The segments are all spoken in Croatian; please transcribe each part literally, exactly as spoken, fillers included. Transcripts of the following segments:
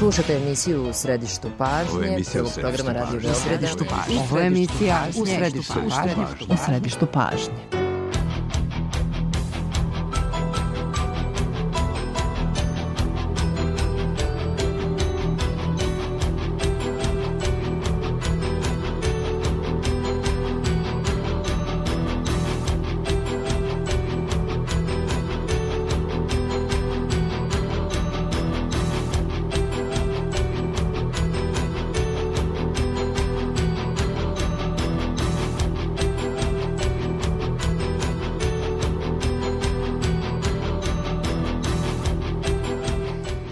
Slušate emisiju U središtu pažnje, prvog programa Radio Beograda. U središtu pažnje. Ovo je emisija U središtu pažnje. U središtu pažnje.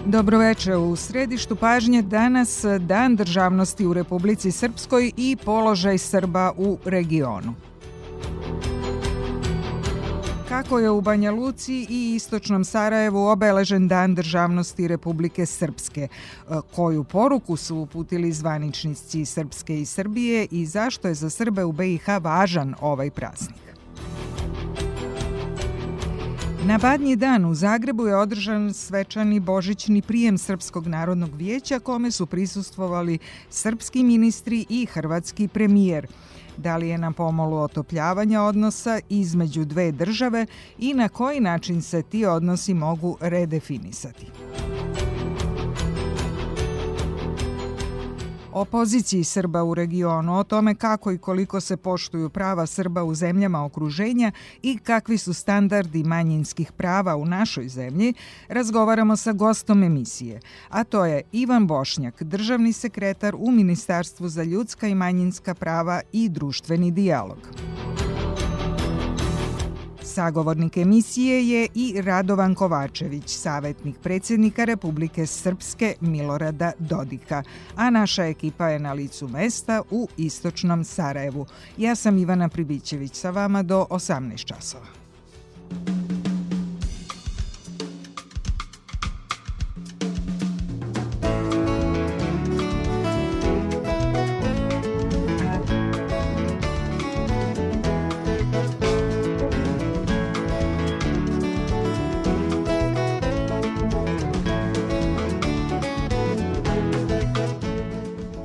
Dobroveče, u središtu pažnje danas Dan državnosti u Republici Srpskoj i položaj Srba u regionu. Kako je u Banja Luci i istočnom Sarajevu obeležen Dan državnosti Republike Srpske? Koju poruku su uputili zvaničnici Srpske i Srbije i zašto je za Srbe u B i H važan ovaj praznik? Na Badnji dan u Zagrebu je održan svečani božićni prijem Srpskog narodnog vijeća kome su prisustvovali srpski ministri i hrvatski premijer. Da li je na pomolu otopljavanja odnosa između dve države i na koji način se ti odnosi mogu redefinisati? O poziciji Srba u regionu, o tome kako i koliko se poštuju prava Srba u zemljama okruženja i kakvi su standardi manjinskih prava u našoj zemlji, razgovaramo sa gostom emisije, a to je Ivan Bošnjak, državni sekretar u Ministarstvu za ljudska i manjinska prava i društveni dijalog. Sagovornik emisije je i Radovan Kovačević, savjetnik predsjednika Republike Srpske Milorada Dodika, a naša ekipa je na licu mesta u istočnom Sarajevu. Ja sam Ivana Pribićević, sa vama do osamnaest časova.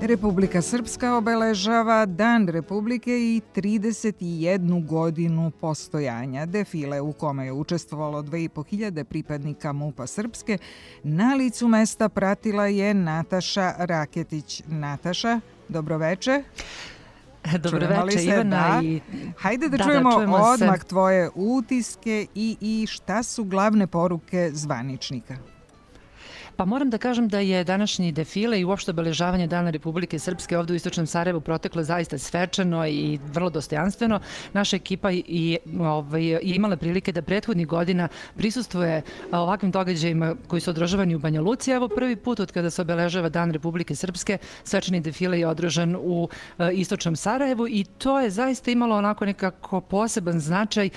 Republika Srpska obeležava Dan Republike i trideset jednu godinu postojanja. Defile u kome je učestvovalo dve i po hiljade pripadnika MUP-a Srpske na licu mesta pratila je Nataša Raketić. Nataša, dobroveče. Dobroveče, Ivana. I... Hajde da, da čujemo, da čujemo odmah se. Tvoje utiske i, i šta su glavne poruke zvaničnika. Pa moram da kažem da je današnji defile i uopšte obeležavanje Dana Republike Srpske ovdje u istočnom Sarajevu proteklo zaista svečano i vrlo dostojanstveno. Naša ekipa i, ovaj, je imala prilike da prethodnih godina prisustvuje ovakvim događajima koji su održavani u Banja Luci. Evo prvi put od kada se obeležava Dan Republike Srpske, svečani defile je održan u e, istočnom Sarajevu i to je zaista imalo onako nekako poseban značaj e,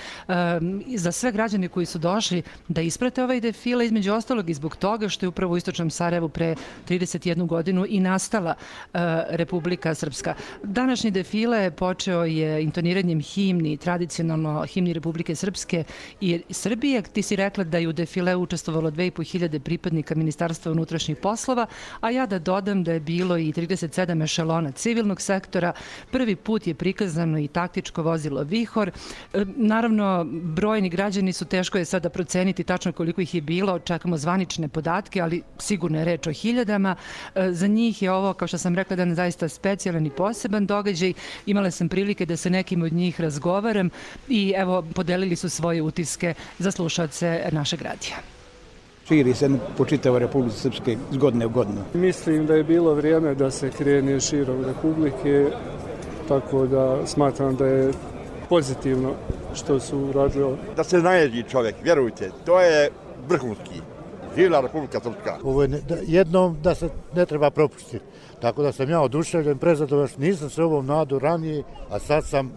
za sve građane koji su došli da isprate ovaj defile, između ostalog i zbog toga što je upravo u istočnom Sarajevu pre trideset jednu godinu i nastala uh, Republika Srpska. Današnji defile počeo je intoniranjem himni, tradicionalno himni Republike Srpske i Srbije. Ti si rekla da je u defile učestvovalo dve i po hiljade pripadnika Ministarstva unutrašnjih poslova, a ja da dodam da je bilo i trideset sedam ešelona civilnog sektora. Prvi put je prikazano i taktičko vozilo Vihor. E, naravno, brojni građani su, teško je sada proceniti tačno koliko ih je bilo, čekamo zvanične podatke, ali sigurno je reč o hiljadama. Za njih je ovo, kao što sam rekla, dan zaista specijalan i poseban događaj. Imala sam prilike da se nekim od njih razgovaram i evo, podelili su svoje utiske za slušalce našeg radija. Širi se po čitavoj Republici Srpske iz godine u godinu. Mislim da je bilo vrijeme da se krene širom Republike, tako da smatram da je pozitivno što su radili. Da se naježi čovjek, vjerujte, to je vrhunski. Živjela Republika Srpska. Ovo je ne, da, jednom da se ne treba propustiti. Tako da sam ja oduševljen, prezadovoljan, nisam se ovom nadu ranije, a sad sam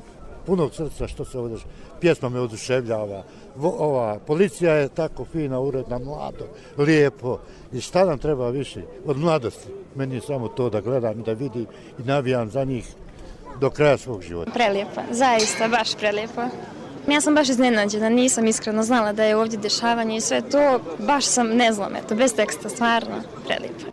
punog srca što se ovdje pjesma me oduševljava. Ova policija je tako fina, uredna, mlado, lijepo. I šta nam treba više od mladosti? Meni je samo to da gledam i da vidim i navijam za njih do kraja svog života. Prelijepo, zaista, baš prelijepo. Ja sam baš iznenađena, nisam iskreno znala da je ovdje dešavanje i sve to, baš sam, ne znam, eto, bez teksta, stvarno prelijepo.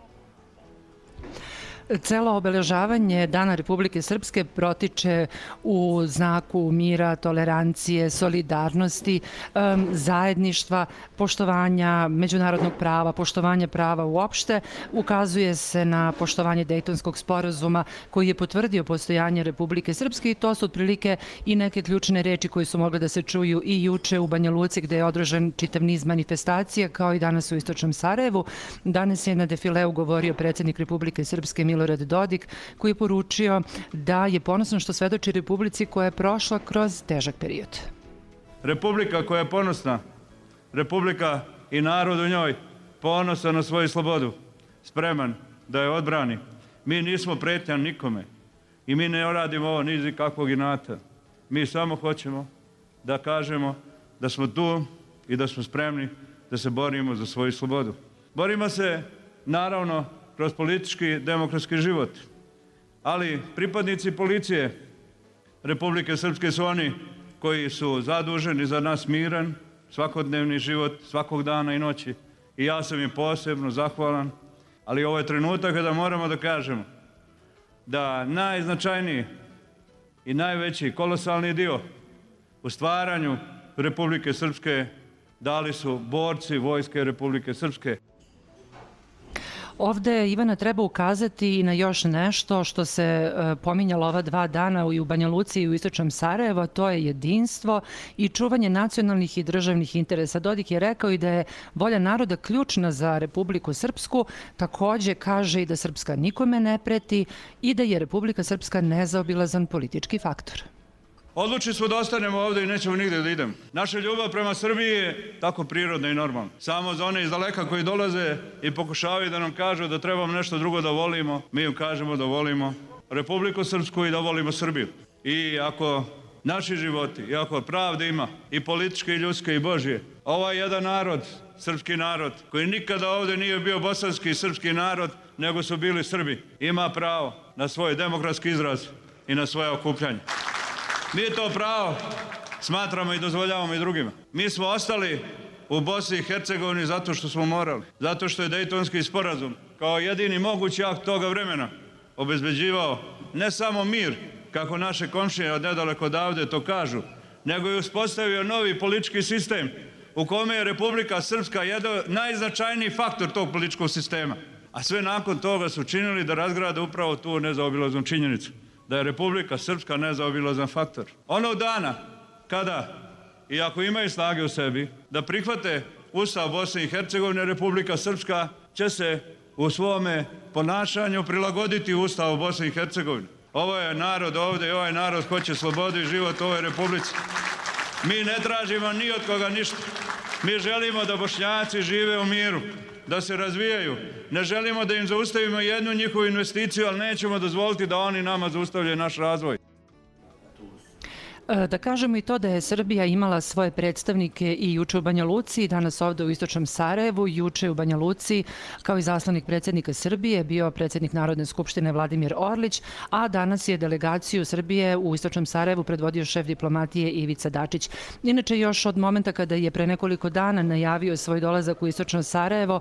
Celo obeležavanje Dana Republike Srpske protiče u znaku mira, tolerancije, solidarnosti, zajedništva, poštovanja međunarodnog prava, poštovanja prava uopšte. Ukazuje se na poštovanje Dejtonskog sporazuma koji je potvrdio postojanje Republike Srpske i to su otprilike i neke ključne reči koje su mogle da se čuju i juče u Banja Luci gde je održan čitav niz manifestacija kao i danas u istočnom Sarajevu. Danas je na defileu govorio predsjednik Republike Srpske Milorad Dodik koji je poručio da je ponosan što svedoči Republici koja je prošla kroz težak period. Republika koja je ponosna, Republika i narod u njoj ponosan na svoju slobodu, spreman da je odbrani. Mi nismo pretnja nikome i mi ne radimo ovo ni iz kakvog inata. Mi samo hoćemo da kažemo da smo tu i da smo spremni da se borimo za svoju slobodu. Borimo se, naravno, kroz politički demokratski život, ali pripadnici policije Republike Srpske su oni koji su zaduženi za nas miran, svakodnevni život, svakog dana i noći. I ja sam im posebno zahvalan, ali ovo je trenutak kada moramo da kažemo da najznačajniji i najveći kolosalni dio u stvaranju Republike Srpske dali su borci Vojske Republike Srpske. Ovde, Ivana, treba ukazati i na još nešto što se pominjalo ova dva dana i u Banja Luci i u istočnom Sarajevu, a to je jedinstvo i čuvanje nacionalnih i državnih interesa. Dodik je rekao i da je volja naroda ključna za Republiku Srpsku, takođe kaže i da Srpska nikome ne preti i da je Republika Srpska nezaobilazan politički faktor. Odlučili smo da ostanemo ovdje i nećemo nigde da idemo. Naša ljubav prema Srbiji je tako prirodna i normalna. Samo za one iz daleka koji dolaze i pokušavaju da nam kažu da trebamo nešto drugo da volimo, mi im kažemo da volimo Republiku Srpsku i da volimo Srbiju. I ako naši životi, i ako pravde ima, i političke, i ljudske, i Božje, ovaj jedan narod, srpski narod, koji nikada ovdje nije bio bosanski i srpski narod, nego su bili Srbi, ima pravo na svoj demokratski izraz i na svoje okupljanje. Mi to pravo smatramo i dozvoljavamo i drugima. Mi smo ostali u Bosni i Hercegovini zato što smo morali. Zato što je Dejtonski sporazum kao jedini mogući akt toga vremena obezbeđivao ne samo mir, kako naše komšije od nedaleko odavde to kažu, nego je uspostavio novi politički sistem u kome je Republika Srpska jedan najznačajniji faktor tog političkog sistema. A sve nakon toga su činili da razgrade upravo tu nezaobilaznu činjenicu, da je Republika Srpska nezaobilazan faktor. Onog dana kada, i ako imaju snage u sebi, da prihvate Ustav Bosne i Hercegovine, Republika Srpska će se u svome ponašanju prilagoditi Ustavu Bosne i Hercegovine. Ovo je narod ovdje i ovaj narod hoće slobodu i život u ovoj Republici. Mi ne tražimo ni od koga ništa. Mi želimo da Bošnjaci žive u miru, da se razvijaju. Ne želimo da im zaustavimo jednu njihovu investiciju, ali nećemo dozvoliti da oni nama zaustavljaju naš razvoj. Da kažemo i to da je Srbija imala svoje predstavnike i juče u Banja Luci, danas ovde u istočnom Sarajevu, juče u Banja Luci, kao i zaslanik predsjednika Srbije, bio predsjednik Narodne skupštine Vladimir Orlić, a danas je delegaciju Srbije u istočnom Sarajevu predvodio šef diplomatije Ivica Dačić. Inače, još od momenta kada je pre nekoliko dana najavio svoj dolazak u istočno Sarajevo,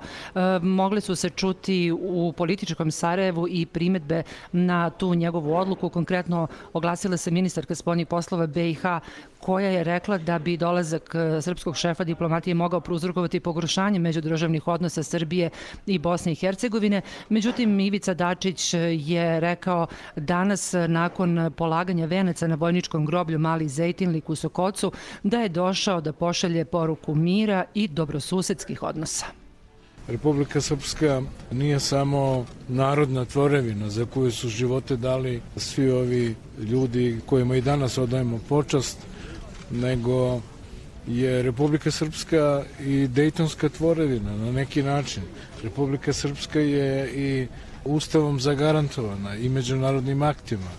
mogle su se čuti u političkom Sarajevu i primetbe na tu njegovu odluku. Konkretno oglasila se ministarka spoljnih poslova B i H koja je rekla da bi dolazak srpskog šefa diplomatije mogao prouzrokovati pogoršanje međudržavnih odnosa Srbije i Bosne i Hercegovine. Međutim, Ivica Dačić je rekao danas nakon polaganja venaca na vojničkom groblju Mali Zejtinlik u Sokocu da je došao da pošalje poruku mira i dobrosusedskih odnosa. Republika Srpska nije samo narodna tvorevina za koju su živote dali svi ovi ljudi kojima i danas odajemo počast, nego je Republika Srpska i dejtonska tvorevina na neki način. Republika Srpska je i Ustavom zagarantovana i međunarodnim aktima.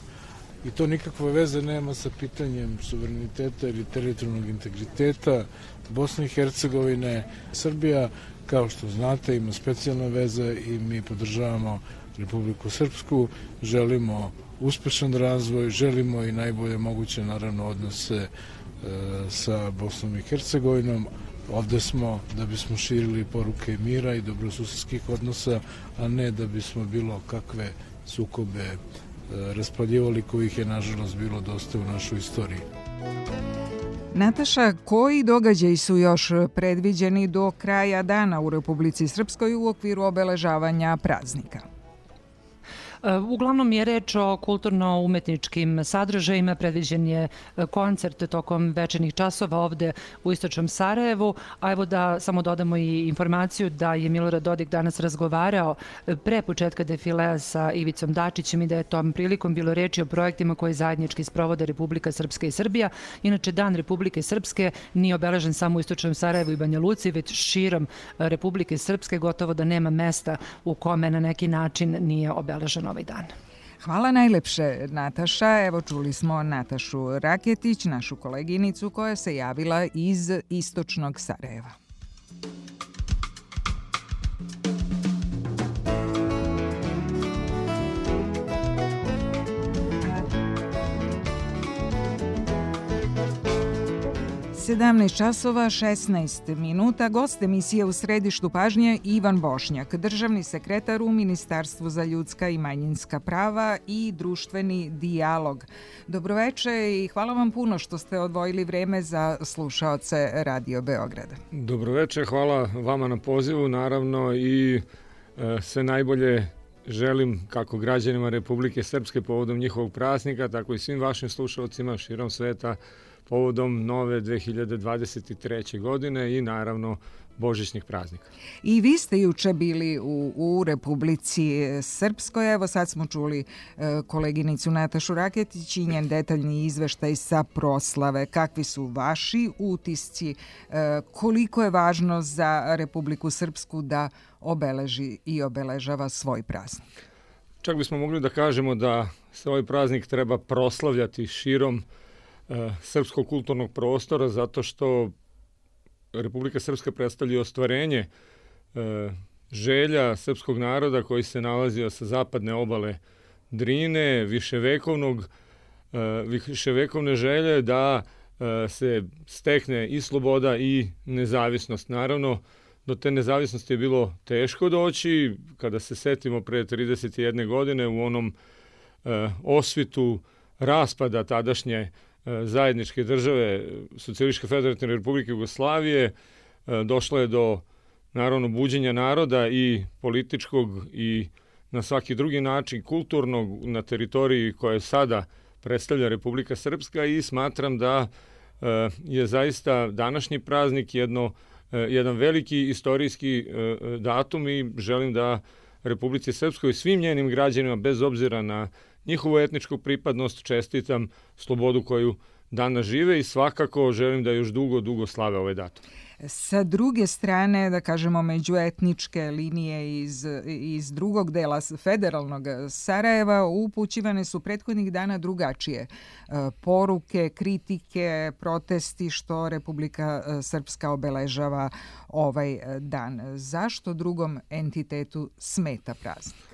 I to nikakve veze nema sa pitanjem suvereniteta ili teritorijalnog integriteta Bosne i Hercegovine. Srbija, kao što znate, ima specijalne veze i mi podržavamo Republiku Srpsku, želimo uspešan razvoj, želimo i najbolje moguće, naravno, odnose e, sa Bosnom i Hercegovinom. Ovde smo da bismo širili poruke mira i dobrosusedskih odnosa, a ne da bismo bilo kakve sukobe raspaljivali, kojih je nažalost bilo dosta u našoj istoriji. Nataša, koji događaji su još predviđeni do kraja dana u Republici Srpskoj u okviru obeležavanja praznika? Uglavnom je reč o kulturno-umetničkim sadržajima, predviđen je koncert tokom večernjih časova ovde u istočnom Sarajevu, a evo da samo dodamo i informaciju da je Milorad Dodik danas razgovarao pre početka defilea sa Ivicom Dačićem i da je tom prilikom bilo reči o projektima koje zajednički sprovode Republika Srpska i Srbija. Inače, Dan Republike Srpske nije obeležen samo u istočnom Sarajevu i Banja Luci, već širom Republike Srpske, gotovo da nema mesta u kome na neki način nije obeleženo ovaj dan. Hvala najlepše, Nataša. Evo čuli smo Natašu Raketić, našu koleginicu koja se javila iz istočnog Sarajeva. sedamnaest časova šesnaest minuta. Gost emisije u središtu pažnje Ivan Bošnjak, državni sekretar u Ministarstvu za ljudska i manjinska prava i društveni dijalog. Dobroveče i hvala vam puno što ste odvojili vreme za slušaoce Radio Beograda. Dobroveče, hvala vama na pozivu, naravno, i e, sve najbolje želim kako građanima Republike Srpske povodom njihovog praznika, tako i svim vašim slušalcima širom sveta povodom nove dve hiljade dvadeset treće. godine i naravno božićnih praznika. I vi ste juče bili u, u Republici Srpskoj. Evo sad smo čuli e, koleginicu Natašu Raketić i njen detaljni izveštaj sa proslave. Kakvi su vaši utisci? E, koliko je važno za Republiku Srpsku da obeleži i obeležava svoj praznik? Čak bismo mogli da kažemo da se ovaj praznik treba proslavljati širom srpskog kulturnog prostora, zato što Republika Srpska predstavlja ostvarenje e, želja srpskog naroda koji se nalazio sa zapadne obale Drine, viševekovnog, e, viševekovne želje da e, se stekne i sloboda i nezavisnost. Naravno, do te nezavisnosti je bilo teško doći, kada se setimo pre trideset jedne godine u onom e, osvitu raspada tadašnje zajedničke države Socijalističke federativne republike Jugoslavije, došlo je do naravno buđenja naroda i političkog i na svaki drugi način kulturnog na teritoriji koje sada predstavlja Republika Srpska i smatram da je zaista današnji praznik jedno, jedan veliki istorijski datum i želim da Republici Srpskoj i svim njenim građanima bez obzira na njihovu etničku pripadnost čestitam slobodu koju danas žive i svakako želim da još dugo, dugo slave ovaj datum. Sa druge strane, da kažemo, međuetničke linije iz, iz drugog dela federalnog Sarajeva upućivane su prethodnih dana drugačije poruke, kritike, protesti što Republika Srpska obeležava ovaj dan. Zašto drugom entitetu smeta praznik?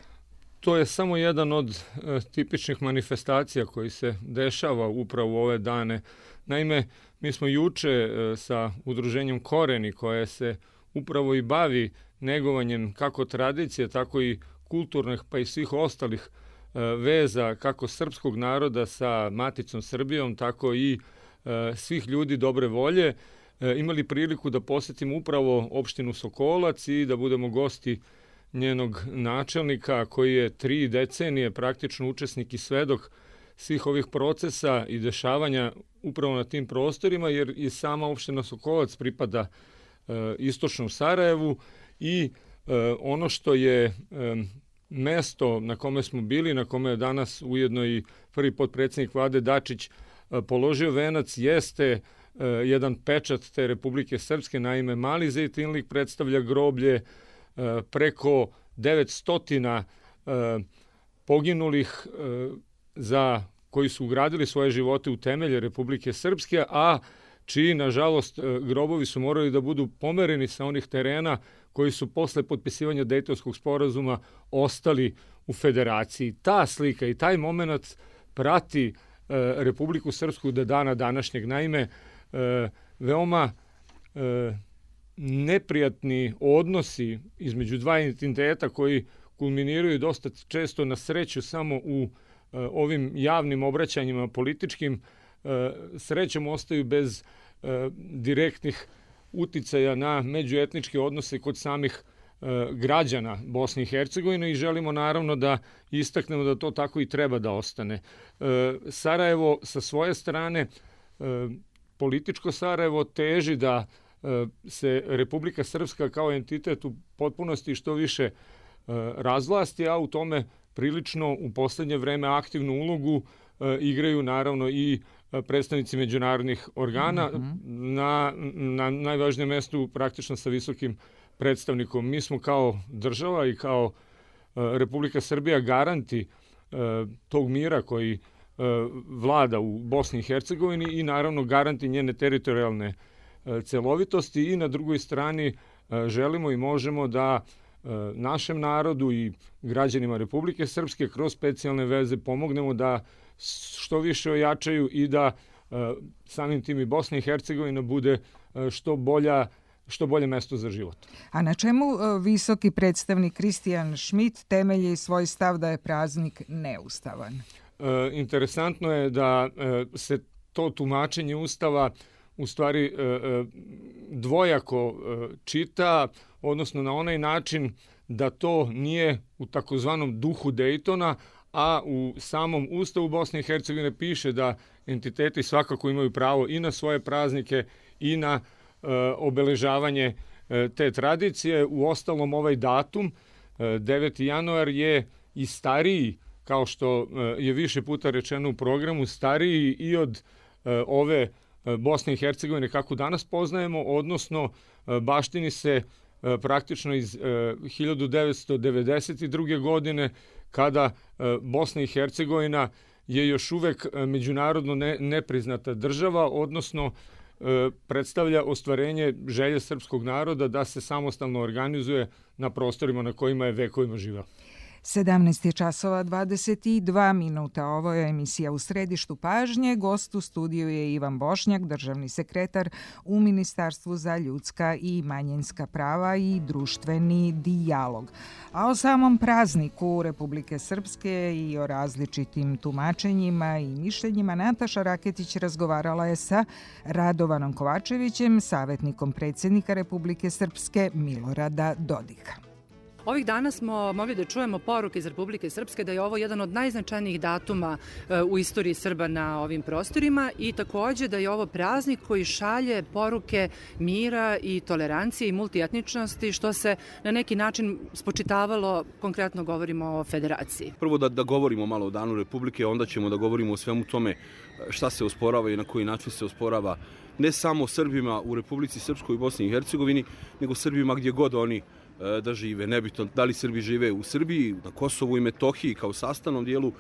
To je samo jedan od e, tipičnih manifestacija koji se dešava upravo u ove dane. Naime, mi smo juče e, sa udruženjem Koreni, koje se upravo i bavi negovanjem kako tradicije, tako i kulturnih, pa i svih ostalih e, veza, kako srpskog naroda sa maticom Srbijom, tako i e, svih ljudi dobre volje, e, imali priliku da posetimo upravo opštinu Sokolac i da budemo gosti njenog načelnika koji je tri decenije praktično učesnik i svedok svih ovih procesa i dešavanja upravo na tim prostorima, jer i sama opština Sokolac pripada e, istočnom Sarajevu i e, ono što je e, mesto na kome smo bili, na kome je danas ujedno i prvi potpredsjednik vlade Dačić e, položio venac, jeste e, jedan pečat te Republike Srpske. Naime, Mali Zejtinlik predstavlja groblje preko devetsto poginulih za koji su ugradili svoje živote u temelje Republike Srpske, a čiji, nažalost, grobovi su morali da budu pomereni sa onih terena koji su posle potpisivanja Dejtonskog sporazuma ostali u federaciji. Ta slika i taj moment prati Republiku Srpsku do dana današnjeg. Naime, veoma neprijatni odnosi između dva entiteta koji kulminiraju dosta često na sreću samo u ovim javnim obraćanjima političkim, srećom ostaju bez direktnih uticaja na međuetničke odnose kod samih građana Bosne i Hercegovine i želimo naravno da istaknemo da to tako i treba da ostane. Sarajevo sa svoje strane, političko Sarajevo teži da se Republika Srpska kao entitet u potpunosti što više razvlasti, a u tome prilično u poslednje vreme aktivnu ulogu igraju naravno i predstavnici međunarodnih organa mm-hmm. na, na najvažnijem mestu praktično sa visokim predstavnikom. Mi smo kao država i kao Republika Srbija garanti tog mira koji vlada u Bosni i Hercegovini i naravno garanti njene teritorijalne celovitosti i na drugoj strani želimo i možemo da našem narodu i građanima Republike Srpske kroz specijalne veze pomognemo da što više ojačaju i da samim tim i Bosna i Hercegovina bude što bolja što bolje mesto za život. A na čemu visoki predstavnik Kristijan Šmit temelji svoj stav da je praznik neustavan? E, interesantno je da e, se to tumačenje Ustava u stvari e, e, dvojako e, čita, odnosno na onaj način da to nije u takozvanom duhu Dejtona, a u samom Ustavu Bosne i Hercegovine piše da entiteti svakako imaju pravo i na svoje praznike i na e, obeležavanje e, te tradicije. U ostalom ovaj datum, e, deveti januar, je i stariji, kao što e, je više puta rečeno u programu, stariji i od e, ove e, Bosne i Hercegovine kako danas poznajemo, odnosno e, baštini se e, praktično iz e, hiljadu devetsto devedeset druge. godine, kada Bosna i Hercegovina je još uvek međunarodno ne, nepriznata država, odnosno predstavlja ostvarenje želje srpskog naroda da se samostalno organizuje na prostorima na kojima je vekovima živeo. sedamnaest je časova dvadeset dva minuta. Ovo je emisija U središtu pažnje. Gost u studiju je Ivan Bošnjak, državni sekretar u Ministarstvu za ljudska i manjinska prava i društveni dijalog. A o samom prazniku Republike Srpske i o različitim tumačenjima i mišljenjima Nataša Raketić razgovarala je sa Radovanom Kovačevićem, savjetnikom predsjednika Republike Srpske Milorada Dodika. Ovih dana smo mogli da čujemo poruke iz Republike Srpske da je ovo jedan od najznačajnijih datuma u istoriji Srba na ovim prostorima i takođe da je ovo praznik koji šalje poruke mira i tolerancije i multietničnosti, što se na neki način spočitavalo, konkretno govorimo o federaciji. Prvo da, da govorimo malo o Danu Republike, onda ćemo da govorimo o svemu tome šta se osporava i na koji način se osporava ne samo Srbima u Republici Srpskoj i Bosni i Hercegovini, nego Srbima gdje god oni da žive. Nebitno da li Srbi žive u Srbiji, na Kosovu i Metohiji kao sastavnom dijelu e,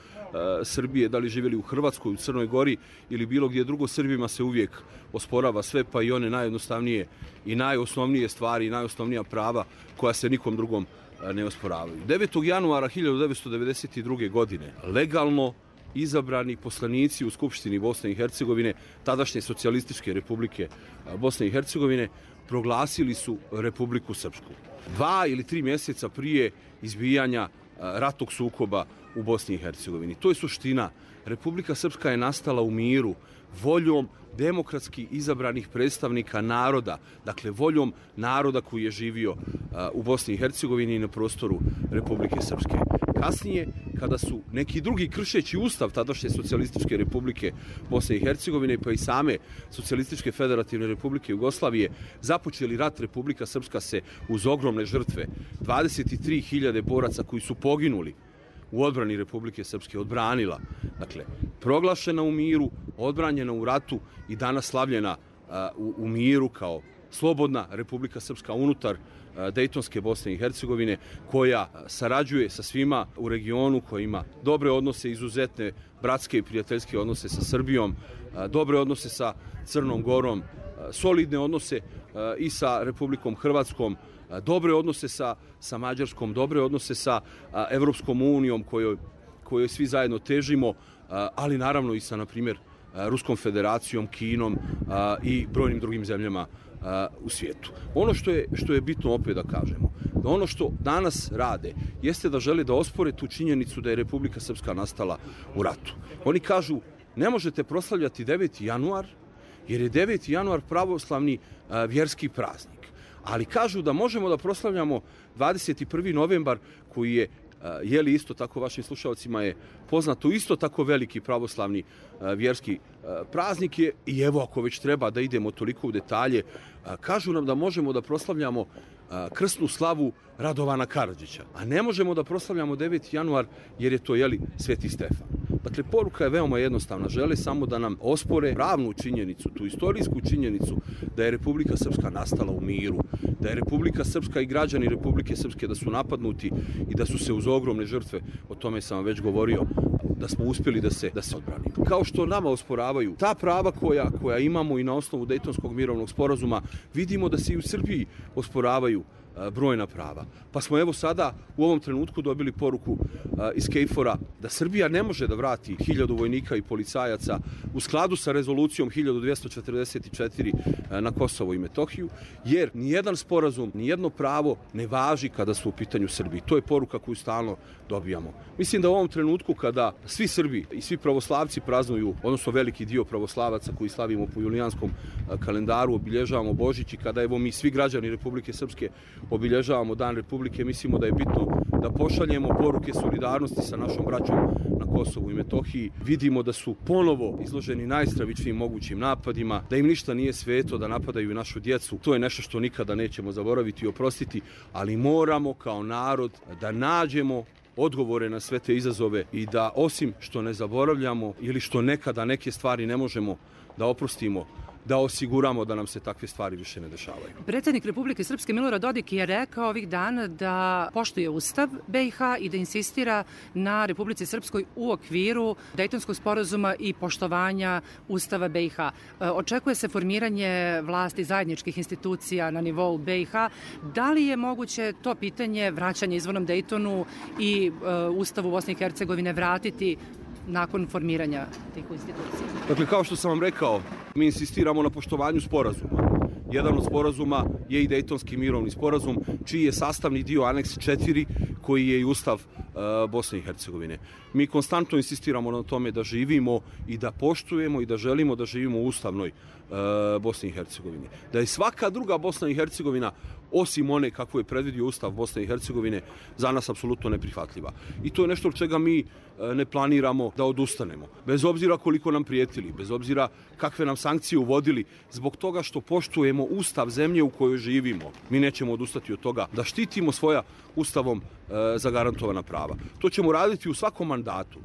Srbije, da li živjeli u Hrvatskoj, u Crnoj Gori ili bilo gdje drugo, Srbima se uvijek osporava sve, pa i one najjednostavnije i najosnovnije stvari i najosnovnija prava koja se nikom drugom e, ne osporavaju. devetog januara hiljadu devetsto devedeset druge. godine legalno izabrani poslanici u Skupštini Bosne i Hercegovine, tadašnje socijalističke Republike Bosne i Hercegovine, proglasili su Republiku Srpsku. Dva ili tri mjeseca prije izbijanja ratnog sukoba u Bosni i Hercegovini. To je suština. Republika Srpska je nastala u miru, voljom demokratski izabranih predstavnika naroda, dakle voljom naroda koji je živio u Bosni i Hercegovini i na prostoru Republike Srpske. Kasnije, kada su neki drugi, kršeći ustav tadašnje socijalističke Republike Bosne i Hercegovine pa i same socijalističke federativne Republike Jugoslavije, započeli rat, Republika Srpska se uz ogromne žrtve, dvadeset tri hiljade boraca koji su poginuli u odbrani Republike Srpske, odbranila. Dakle, proglašena u miru, odbranjena u ratu i danas slavljena a, u, u miru kao slobodna Republika Srpska unutar a, Dejtonske Bosne i Hercegovine, koja sarađuje sa svima u regionu, koja ima dobre odnose, izuzetne bratske i prijateljske odnose sa Srbijom, a, dobre odnose sa Crnom Gorom, a, solidne odnose a, i sa Republikom Hrvatskom, dobre odnose sa, sa Mađarskom, dobre odnose sa a, Evropskom unijom kojoj, kojoj svi zajedno težimo, a, ali naravno i sa, na primjer, a, Ruskom federacijom, Kinom a, i brojnim drugim zemljama a, u svijetu. Ono što je, što je bitno opet da kažemo, ono što danas rade jeste da žele da ospore tu činjenicu da je Republika Srpska nastala u ratu. Oni kažu, ne možete proslavljati deveti januar, jer je deveti januar pravoslavni a, vjerski praznik. Ali kažu da možemo da proslavljamo dvadeset prvi novembar, koji je, a, je li isto tako vašim slušalcima je poznato, isto tako veliki pravoslavni a, vjerski a, praznik je. I evo, ako već treba da idemo toliko u detalje, a, kažu nam da možemo da proslavljamo a, krsnu slavu Radovana Karadžića, a ne možemo da proslavljamo deveti januar jer je to, jeli, Sveti Stefan. Dakle, poruka je veoma jednostavna. Žele samo da nam ospore pravnu činjenicu, tu istorijsku činjenicu da je Republika Srpska nastala u miru, da je Republika Srpska i građani Republike Srpske da su napadnuti i da su se uz ogromne žrtve, o tome sam vam već govorio, da smo uspjeli da se, da se odbranimo. Kao što nama osporavaju ta prava koja, koja imamo i na osnovu Dejtonskog mirovnog sporazuma, vidimo da se i u Srbiji osporavaju brojna prava. Pa smo evo sada u ovom trenutku dobili poruku a, iz KFOR-a da Srbija ne može da vrati hiljadu vojnika i policajaca u skladu sa rezolucijom hiljadu dvjesto četrdeset četiri a, na Kosovo i Metohiju, jer nijedan sporazum, nijedno pravo ne važi kada su u pitanju Srbiji. To je poruka koju stalno dobijamo. Mislim da u ovom trenutku kada svi Srbi i svi pravoslavci praznuju, odnosno veliki dio pravoslavaca koji slavimo po julijanskom a, kalendaru, obilježavamo Božić, i kada evo mi svi građani Republike Srpske obilježavamo Dan Republike, mislimo da je bitno da pošaljemo poruke solidarnosti sa našom braćom na Kosovu i Metohiji. Vidimo da su ponovo izloženi najstravičnijim mogućim napadima, da im ništa nije sveto, da napadaju našu djecu. To je nešto što nikada nećemo zaboraviti i oprostiti, ali moramo kao narod da nađemo odgovore na sve te izazove i da, osim što ne zaboravljamo ili što nekada neke stvari ne možemo da oprostimo, da osiguramo da nam se takve stvari više ne dešavaju. Predsjednik Republike Srpske Milorad Dodik je rekao ovih dana da poštuje Ustav B i H i da insistira na Republici Srpskoj u okviru Dejtonskog sporazuma i poštovanja Ustava B i H. Očekuje se formiranje vlasti zajedničkih institucija na nivou B i H. Da li je moguće to pitanje vraćanja izvornom Dejtonu i uh, Ustavu Bosne i Hercegovine vratiti nakon formiranja tih institucija? Dakle, kao što sam vam rekao, mi insistiramo na poštovanju sporazuma. Jedan od sporazuma je i Dejtonski mirovni sporazum, čiji je sastavni dio aneks četiri, koji je i Ustav uh, Bosne i Hercegovine. Mi konstantno insistiramo na tome da živimo i da poštujemo i da želimo da živimo u ustavnoj uh, Bosni i Hercegovini. Da je svaka druga Bosna i Hercegovina, osim one kako je predvidio Ustav Bosne i Hercegovine, za nas apsolutno neprihvatljiva. I to je nešto od čega mi uh, ne planiramo da odustanemo. Bez obzira koliko nam prijetili, bez obzira kakve nam sankcije uvodili, zbog toga što poštujemo Ustav zemlje u kojoj živimo. Mi nećemo odustati od toga da štitimo svoja Ustavom uh, zagarantovana prava. To ćemo raditi u svakom mandatu,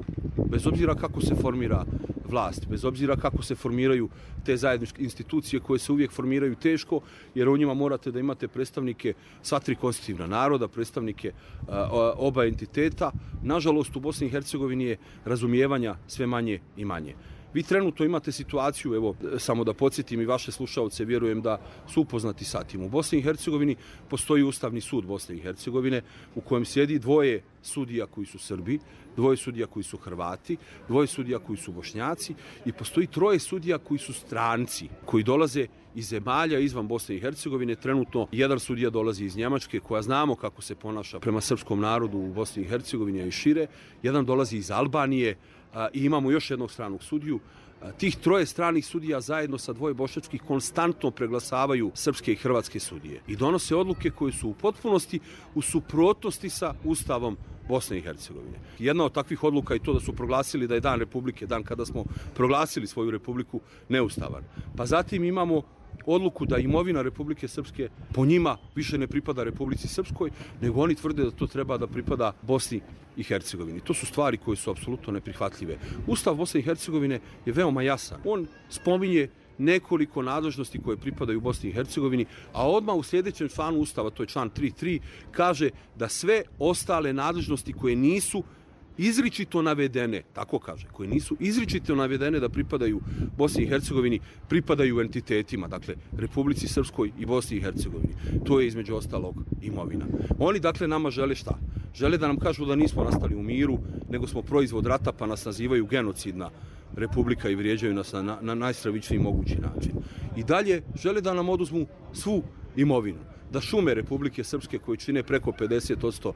bez obzira kako se formira vlast, bez obzira kako se formiraju te zajedničke institucije koje se uvijek formiraju teško, jer u njima morate da imate predstavnike sva tri konstitutivna naroda, predstavnike a, oba entiteta. Nažalost, u Bosni i Hercegovini je razumijevanja sve manje i manje. Vi trenutno imate situaciju, evo, samo da podsjetim i vaše slušaoce, vjerujem da su upoznati sa tim. U Bosni i Hercegovini postoji Ustavni sud Bosne i Hercegovine u kojem sjedi dvoje sudija koji su Srbi, dvoje sudija koji su Hrvati, dvoje sudija koji su Bošnjaci i postoji troje sudija koji su stranci, koji dolaze iz zemalja izvan Bosne i Hercegovine. Trenutno jedan sudija dolazi iz Njemačke, koja znamo kako se ponaša prema srpskom narodu u Bosni i Hercegovini i šire. Jedan dolazi iz Albanije a, i imamo još jednog stranog sudiju. A, tih troje stranih sudija zajedno sa dvoje bošnjačkih konstantno preglasavaju srpske i hrvatske sudije i donose odluke koje su u potpunosti u suprotnosti sa Ustavom Bosne i Hercegovine. Jedna od takvih odluka je to da su proglasili da je Dan Republike, dan kada smo proglasili svoju republiku, neustavan. Pa zatim imamo odluku da imovina Republike Srpske po njima više ne pripada Republici Srpskoj, nego oni tvrde da to treba da pripada Bosni i Hercegovini. To su stvari koje su apsolutno neprihvatljive. Ustav Bosne i Hercegovine je veoma jasan. On spominje nekoliko nadležnosti koje pripadaju Bosni i Hercegovini, a odmah u sljedećem članu Ustava, to je član tri tri, kaže da sve ostale nadležnosti koje nisu izričito navedene, tako kaže, koje nisu izričito navedene da pripadaju Bosni i Hercegovini, pripadaju entitetima, dakle Republici Srpskoj i Bosni i Hercegovini. To je između ostalog imovina. Oni dakle nama žele šta? Žele da nam kažu da nismo nastali u miru, nego smo proizvod rata, pa nas nazivaju genocidna republika i vrijeđaju nas na, na, na najstravičniji mogući način. I dalje žele da nam oduzmu svu imovinu. da šume Republike Srpske koje čine preko pedeset posto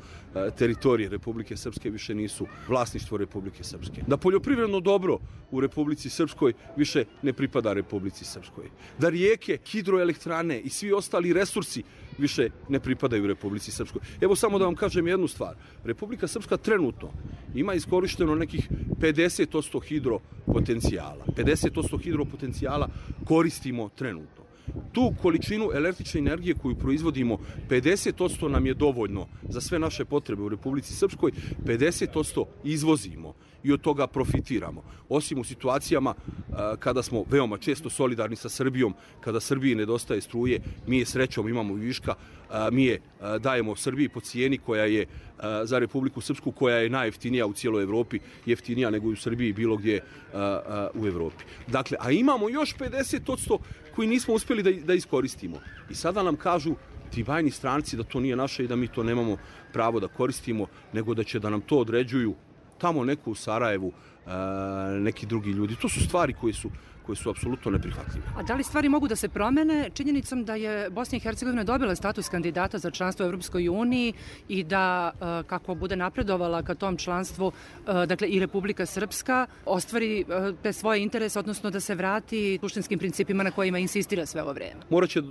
teritorije Republike Srpske više nisu vlasništvo Republike Srpske. Da poljoprivredno dobro u Republici Srpskoj više ne pripada Republici Srpskoj. Da rijeke, hidroelektrane i svi ostali resursi više ne pripadaju Republici Srpskoj. Evo samo da vam kažem jednu stvar. Republika Srpska trenutno ima iskorišteno nekih pedeset posto hidropotencijala. pedeset posto hidropotencijala koristimo trenutno. Tu količinu električne energije koju proizvodimo, pedeset posto nam je dovoljno za sve naše potrebe u Republici Srpskoj, pedeset posto izvozimo i od toga profitiramo. Osim u situacijama kada smo veoma često solidarni sa Srbijom, kada Srbiji nedostaje struje, mi je srećom imamo viška, mi je dajemo Srbiji po cijeni koja je za Republiku Srpsku, koja je najjeftinija u cijeloj Evropi, jeftinija nego u Srbiji bilo gdje u Evropi. Dakle, a imamo još pedeset posto koji nismo uspjeli da, da iskoristimo. I sada nam kažu ti bajni stranci da to nije naše i da mi to nemamo pravo da koristimo, nego da će da nam to određuju tamo neko u Sarajevu, neki drugi ljudi. To su stvari koje su koje su apsolutno neprihvatljive. A da li stvari mogu da se promene činjenicom da je Bosna i Hercegovina dobila status kandidata za članstvo u Evropskoj uniji i da, kako bude napredovala ka tom članstvu, dakle i Republika Srpska, ostvari te svoje interese, odnosno da se vrati suštinskim principima na kojima insistira sve ovo vreme? Morat će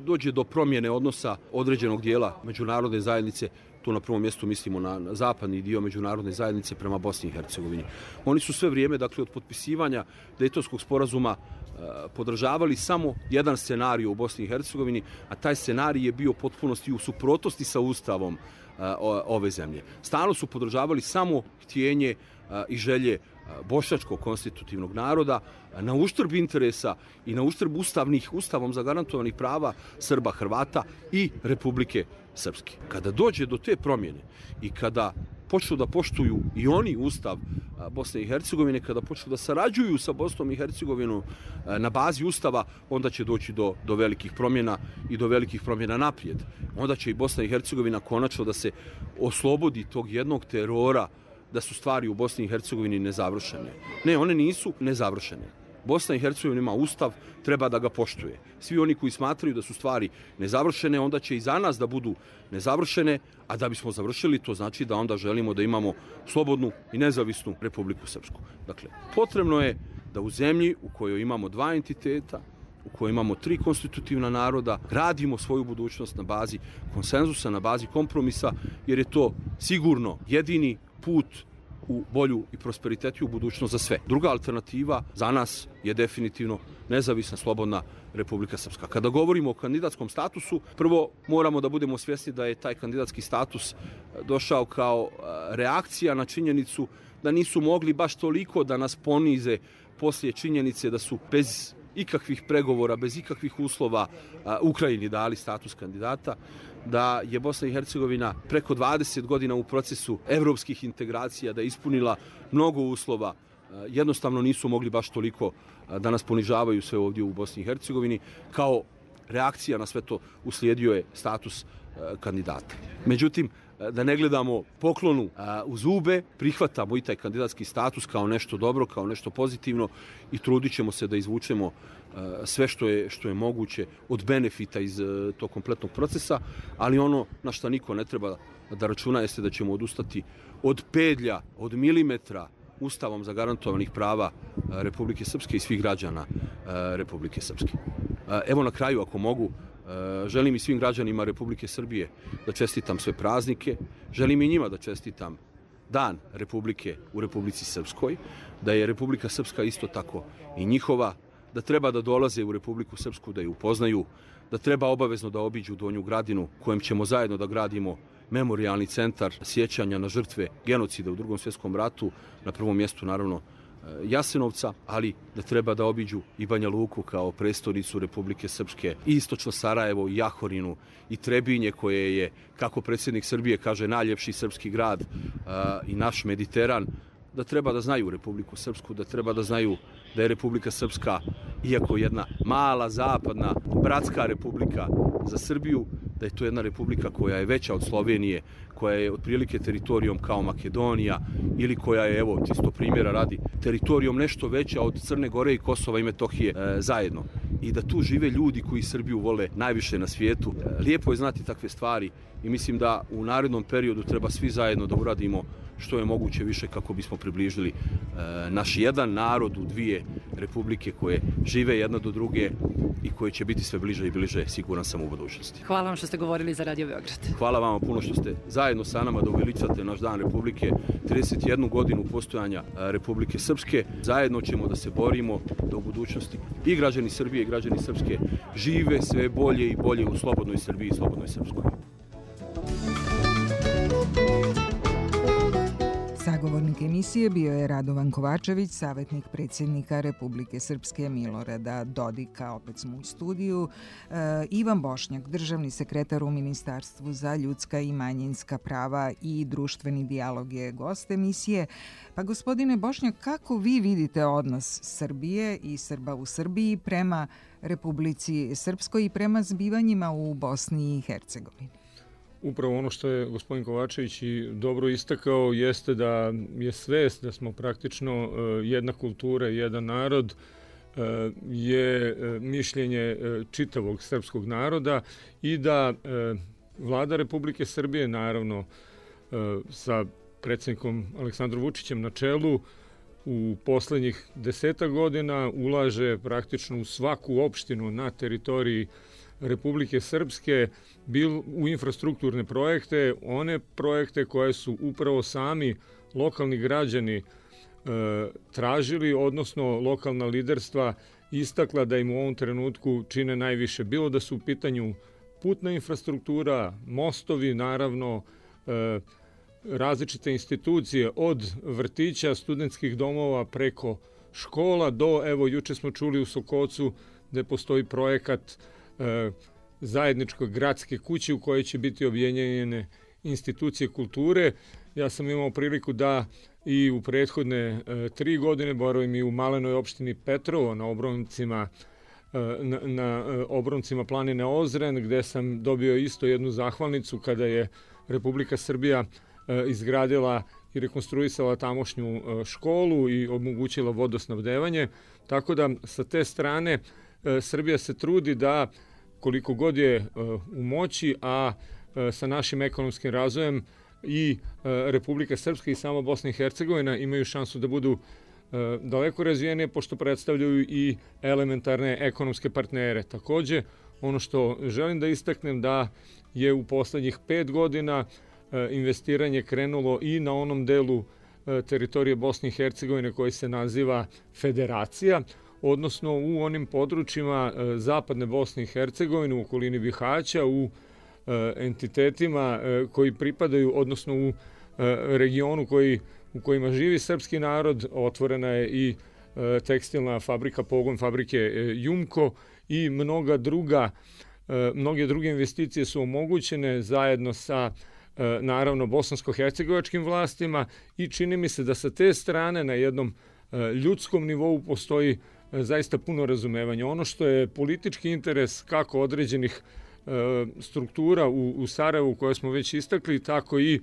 dođe do promjene odnosa određenog dijela međunarodne zajednice. Tu na prvom mjestu mislimo na, na zapadni dio međunarodne zajednice prema Bosni i Hercegovini. Oni su sve vrijeme, dakle, od potpisivanja Dejtonskog sporazuma e, podržavali samo jedan scenarij u Bosni i Hercegovini, a taj scenarij je bio u potpunosti u suprotnosti sa ustavom e, ove zemlje. Stalno su podržavali samo htjenje e, i želje bošnjačkog konstitutivnog naroda na uštrb interesa i na uštrb ustavnih, ustavom zagarantovanih prava Srba, Hrvata i Republike Srpske. Kada dođe do te promjene i kada počnu da poštuju i oni ustav Bosne i Hercegovine, kada počnu da sarađuju sa Bosnom i Hercegovinom na bazi ustava, onda će doći do, do velikih promjena i do velikih promjena naprijed. Onda će i Bosna i Hercegovina konačno da se oslobodi tog jednog terora da su stvari u Bosni i Hercegovini nezavršene. Ne, one nisu nezavršene. Bosna i Hercegovina ima ustav, treba da ga poštuje. Svi oni koji smatraju da su stvari nezavršene, onda će i za nas da budu nezavršene, a da bismo završili, to znači da onda želimo da imamo slobodnu i nezavisnu Republiku Srpsku. Dakle, potrebno je da u zemlji u kojoj imamo dva entiteta, u kojoj imamo tri konstitutivna naroda, radimo svoju budućnost na bazi konsenzusa, na bazi kompromisa, jer je to sigurno jedini put u bolju i prosperitetiju budućnost za sve. Druga alternativa za nas je definitivno nezavisna, slobodna Republika Srpska. Kada govorimo o kandidatskom statusu, prvo moramo da budemo svjesni da je taj kandidatski status došao kao reakcija na činjenicu da nisu mogli baš toliko da nas ponize poslije činjenice da su bez ikakvih pregovora, bez ikakvih uslova Ukrajini dali status kandidata, da je Bosna i Hercegovina preko dvadeset godina u procesu evropskih integracija, da je ispunila mnogo uslova, jednostavno nisu mogli baš toliko da nas ponižavaju sve ovdje u Bosni i Hercegovini. Kao reakcija na sve to uslijedio je status kandidata. Međutim, da ne gledamo poklonu u zube, prihvatamo i taj kandidatski status kao nešto dobro, kao nešto pozitivno i trudit ćemo se da izvučemo sve što je, što je moguće od benefita iz tog kompletnog procesa, ali ono na što niko ne treba da računa jeste da ćemo odustati od pedlja, od milimetra ustavom zagarantovanih prava Republike Srpske i svih građana Republike Srpske. Evo na kraju, ako mogu, želim i svim građanima Republike Srbije da čestitam sve praznike, želim i njima da čestitam Dan Republike u Republici Srpskoj, da je Republika Srpska isto tako i njihova, da treba da dolaze u Republiku Srpsku, da je upoznaju, da treba obavezno da obiđu Donju Gradinu, kojem ćemo zajedno da gradimo memorijalni centar sjećanja na žrtve genocida u Drugom svjetskom ratu, na prvom mjestu naravno Jasenovca, ali da treba da obiđu i Banja Luku kao prestonicu Republike Srpske, i istočno Sarajevo, i Jahorinu, i Trebinje koje je, kako predsjednik Srbije kaže, najljepši srpski grad i naš Mediteran, da treba da znaju Republiku Srpsku, da treba da znaju da je Republika Srpska, iako jedna mala, zapadna, bratska republika za Srbiju, da je to jedna republika koja je veća od Slovenije, koja je otprilike teritorijom kao Makedonija ili koja je, evo, čisto primjera radi, teritorijom nešto veća od Crne Gore i Kosova i Metohije e, zajedno. i da tu žive ljudi koji Srbiju vole najviše na svijetu. Lijepo je znati takve stvari i mislim da u narednom periodu treba svi zajedno da uradimo što je moguće više kako bismo približili e, naš jedan narod u dvije republike koje žive jedna do druge i koje će biti sve bliže i bliže, siguran sam, u budućnosti. Hvala vam što ste govorili za Radio Beograd. Hvala vam puno što ste zajedno sa nama da uveličate naš dan Republike, trideset jednu godinu postojanja Republike Srpske. Zajedno ćemo da se borimo da u budućnosti i građani Srbije i građani Srpske žive sve bolje i bolje u slobodnoj Srbiji i slobodnoj Srpskoj. Sagovornik emisije bio je Radovan Kovačević, savjetnik predsjednika Republike Srpske Milorada Dodika. Opet smo u studiju. E, Ivan Bošnjak, državni sekretar u Ministarstvu za ljudska i manjinska prava i društveni dijalog, je gost emisije. Pa gospodine Bošnjak, kako vi vidite odnos Srbije i Srba u Srbiji prema Republici Srpskoj i prema zbivanjima u Bosni i Hercegovini? Upravo ono što je gospodin Kovačević i dobro istakao jeste da je svest da smo praktično jedna kultura i jedan narod, je mišljenje čitavog srpskog naroda i da vlada Republike Srbije, naravno sa predsjednikom Aleksandrom Vučićem na čelu, u poslednjih desetak godina ulaže praktično u svaku opštinu na teritoriji Republike Srpske bil u infrastrukturne projekte, one projekte koje su upravo sami lokalni građani e, tražili, odnosno lokalna liderstva istakla da im u ovom trenutku čine najviše. Bilo da su u pitanju putna infrastruktura, mostovi, naravno, e, različite institucije od vrtića, studentskih domova preko škola do, evo, juče smo čuli u Sokocu gde postoji projekat e, zajedničke gradske kuće u kojoj će biti objedinjene institucije kulture. Ja sam imao priliku da i u prethodne e, tri godine boravim i u malenoj opštini Petrovo na obroncima e, na, na e, obroncima planine Ozren, gde sam dobio isto jednu zahvalnicu kada je Republika Srbija e, izgradila i rekonstruisala tamošnju e, školu i omogućila vodosnabdevanje. Tako da sa te strane e, Srbija se trudi da koliko god je e, u moći, a e, sa našim ekonomskim razvojem i e, Republika Srpska i sama Bosna i Hercegovina imaju šansu da budu e, daleko razvijenije, pošto predstavljaju i elementarne ekonomske partnere. Takođe, ono što želim da istaknem da je u poslednjih pet godina e, investiranje krenulo i na onom delu e, teritorije Bosne i Hercegovine koji se naziva Federacija, odnosno u onim područjima e, zapadne Bosne i Hercegovine, u okolini Bihaća, u e, entitetima e, koji pripadaju, odnosno u e, regionu koji, u kojima živi srpski narod. Otvorena je i e, tekstilna fabrika, pogon fabrike e, Jumko i mnoga druga, e, mnoge druge investicije su omogućene zajedno sa e, naravno bosansko-hercegovačkim vlastima i čini mi se da sa te strane na jednom e, ljudskom nivou postoji zaista puno razumevanja. Ono što je politički interes kako određenih e, struktura u, u Sarajevu koje smo već istakli, tako i e,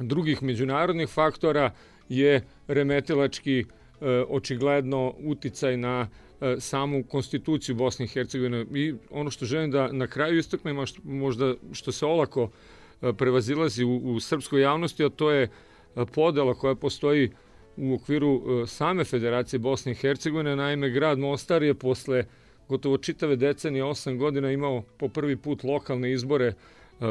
drugih međunarodnih faktora je remetilački e, očigledno uticaj na e, samu konstituciju Bosne i Hercegovine. I ono što želim da na kraju istaknem, a što, možda što se olako e, prevazilazi u, u srpskoj javnosti, a to je podela koja postoji u okviru same Federacije Bosne i Hercegovine. Naime, grad Mostar je posle gotovo čitave decenije, osam godina, imao po prvi put lokalne izbore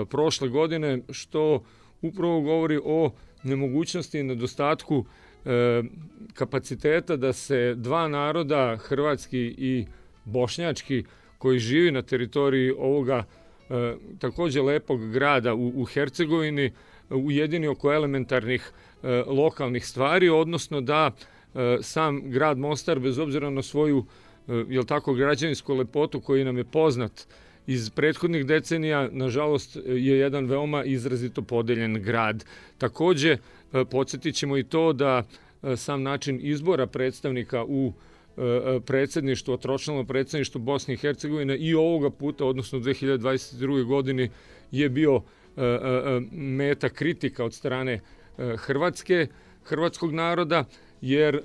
prošle godine, što upravo govori o nemogućnosti i nedostatku kapaciteta da se dva naroda, hrvatski i bošnjački, koji živi na teritoriji ovoga takođe lepog grada u, u Hercegovini, ujedini oko elementarnih e, lokalnih stvari, odnosno da e, sam grad Mostar, bez obzira na svoju e, jel tako, građevinsku lepotu koji nam je poznat iz prethodnih decenija, nažalost je jedan veoma izrazito podeljen grad. Takođe, e, podsjetit ćemo i to da e, sam način izbora predstavnika u e, predsjedništvu, tročlano predsjedništvo Bosne i Hercegovine i ovoga puta, odnosno u dve hiljade dvadeset druge godini, je bio meta kritika od strane Hrvatske, hrvatskog naroda, jer